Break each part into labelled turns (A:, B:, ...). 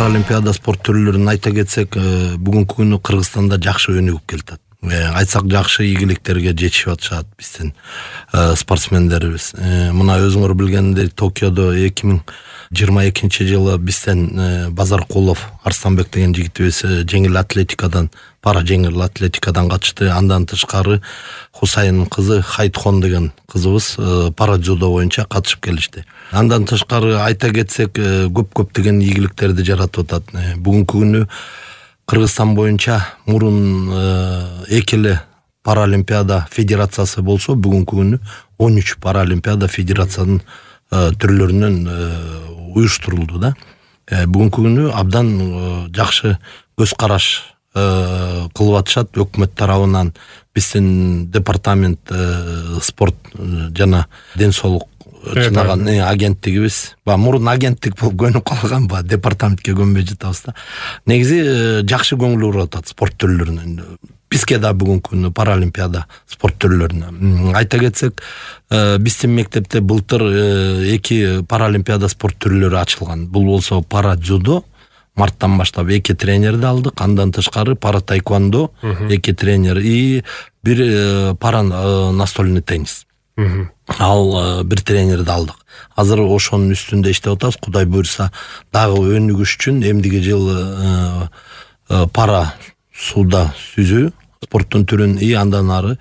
A: паралимпиада спорт түрлөрүн айта кетсек, бүгүнкү күнү Кыргызстанда жакшы өнүгүп келатат. Айтсак жакшы ийгиликтерге жетишип атышат биздин спортсмендерибиз. Мына өзүңөр билгендей Токиодо 2022 жылы бизден Базаркулов Арсланбек деген жигитибиз жеңил атлетикадан, пара жеңил атлетикадан катышты. Андан тышкары Хусайын кызы Хайтхон деген кызыбыз пара дзюдо боюнча катышып келишти. Андан тышкары айта кетсек, көптөгөн ийгиликтерди жаратып атат. Бүгүнкү күнү Кыргызстан боюнча мурун 2 паралимпиада федерациясы болсо, бүгүнкү күнү 13 паралимпиада федерациянын түрлөрүнөн уюштурулду да. Бүгүнкү күнү абдан жакшы көз караш кылып атышат өкмөт тарабынан. Биздин департамент спорт жана ден соолук чынаган агенттигибиз, мурун агенттик болуп көнүп калган, департаментке көнбөй жатабыз да. Негизи жакшы көңүл буруп атат спорт түрлөрүнө. Бизге да бүгүнкү күнү паралимпиада спорт түрлөрүнө. Айта кетсек, биздин мектепте былтыр 2 паралимпиада спорт түрлөрү ачылган. Бул болсо пара дзюдо, марттан баштап 2 тренерди алдык. Андан тышкары пара таэквондо 2 тренер и 1 пара настольный теннис. Ал 1 тренерди алдык. Азыр ошонун үстүндө иштеп атабыз. Кудай буйрса, дагы өнүгүш үчүн эмдиги жылы пара сууда сүзүү спорттун түрүн андан ары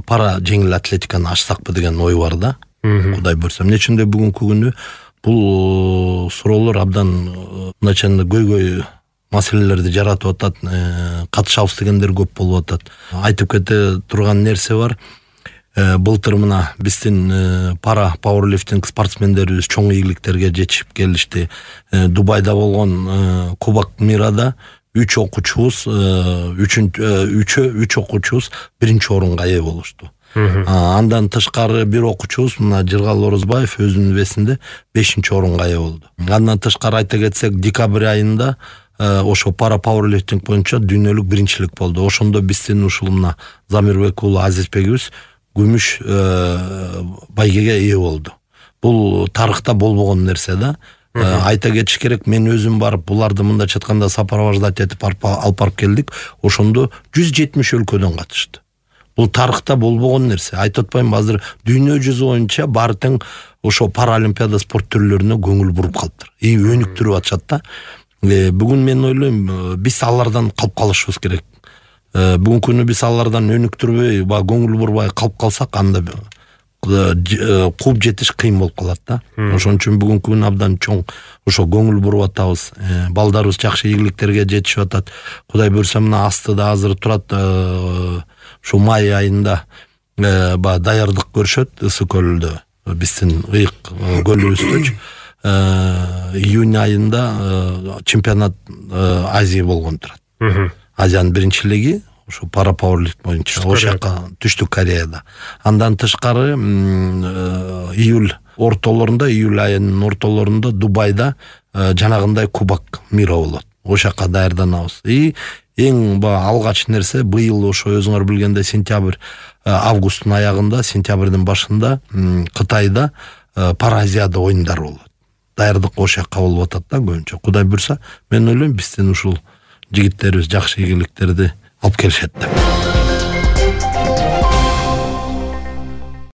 A: пара жеңил атлетиканы ачсакпы деген ой бар да. Кудай буйрса. Эмне үчүн бүгүнкү күнү бул суроолор абдан начально көйгөй маселелерди жаратып атат. Катышабыз дегендер көп болуп атат. Айтып кете турган нерсе бар. Былтыр мына биздин пара пауэрлифтинг спортсмендерибиз чоң ийгиликтерге жетишип келишти. Дубайда болгон Кубок мирада 3 окуучубуз 3 окуучубуз 1-орунга ээ болушту. Андан тышкары 1 окуучубуз мына Жыргал Орозбаев өзүнүн весинде 5-орунга ээ болду. Андан тышкары айта кетсек, декабрь айында ошо пара пауэрлифтинг боюнча дүйнөлүк биринчилик болду. Ошондо биздин ушул мына Замирбек уулу Азизбекибиз күмүш байгеге ээ болду. Бул тарыхта болбогон нерсе да. Айта кетиш керек, мен өзүм барып буларды мындайча айтканда сопровождать этип алып барып келдик. Ошондо 170 өлкөдөн катышты. Бул тарыхта болбогон нерсе. Айтып атпайм, азыр дүйнө жүзү боюнча баары тең ошо паралимпиада спорт түрлөрүнө көңүл буруп калыптыр. Өнүктүрүп атышат да. Бүгүн мен ойлойм, биз алардан калып калышыбыз керек. Бүгүнкү күнү биз алардан өнүктүрбөй, көңүл бурбай калып калсак, анда кууп жетиш кыйын болуп калат да. Ошон үчүн бүгүнкү күнү абдан чоң ошо көңүл буруп атабыз. Балдарыбыз жакшы ийгиликтерге жетишип атат. Кудай буйрса, мына астыда азыр турат, ушу май айында даярдык көрүшөт Ысык көлдө, биздин ыйык көлүбүздө. Июнь айында чемпионат Азия болгон турат. Азиянын биринчилиги ушу пара пауэрлифтинг боюнча ошока Түштүк Кореяда. Андан тышкары июль айынын ортолорунда Дубайда жанагындай Кубок мира болот. Ошока даярданабыз. Эң алгач нерсе быйыл ошо өзүңөр билгендей августтун аягында, сентябрдын башында Кытайда пара Азияда оюндар болот. Даярдык ошока болуп атат да көбүнчө. Кудай буйрса, мен ойлойм, биздин ушул жигиттерибиз жакшы ийгиликтерди алып келишет деп.